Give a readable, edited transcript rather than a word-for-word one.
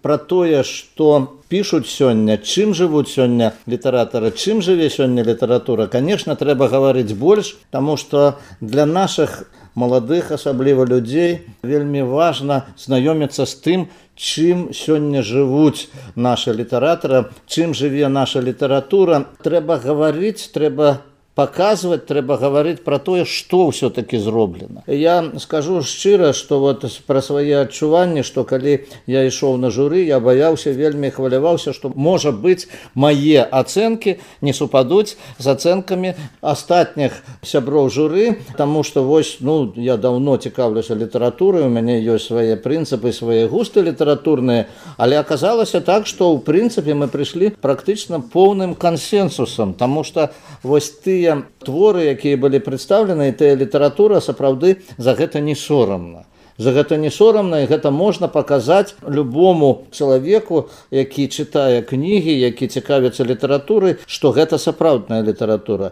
пра тое, што пішуць сёння, чым жывуць сёння літаратары, чым жыве сёння літаратура, конечно, трэба гаварыць больш, таму што для нашых маладых, асабліва людзей, вельмі важна знаёміцца з тым, чым сёння жывуць нашы літаратары, чым жыве наша літаратура. Трэба гаварыць, трэба паказваць, трэба гаварыць пра тое, што ўсё-такі зроблена. Я скажу шчыра, што вот пра свае адчуванні, што калі я ішоў на журы, я баяўся, вельмі хваляваўся, што, можа быць, мае ацэнкі не супадуць з ацэнкамі астатніх сяброў журы, таму што вось, я даўно цікаўлюся літаратурай, у мяне ёсць свае прынцыпы, свае густы літаратурныя, але аказалася так, што ў прынцыпе мы прыйшлі практычна поўным кансенсусам, таму што вось тыя творы, якія былі прадстаўлены, і тая літаратура, сапраўды за гэта не сорамна. За гэта не сорамна, і гэта можна паказаць любому чалавеку, які чытае кнігі, які цікавіцца літаратурай, што гэта сапраўдная літаратура.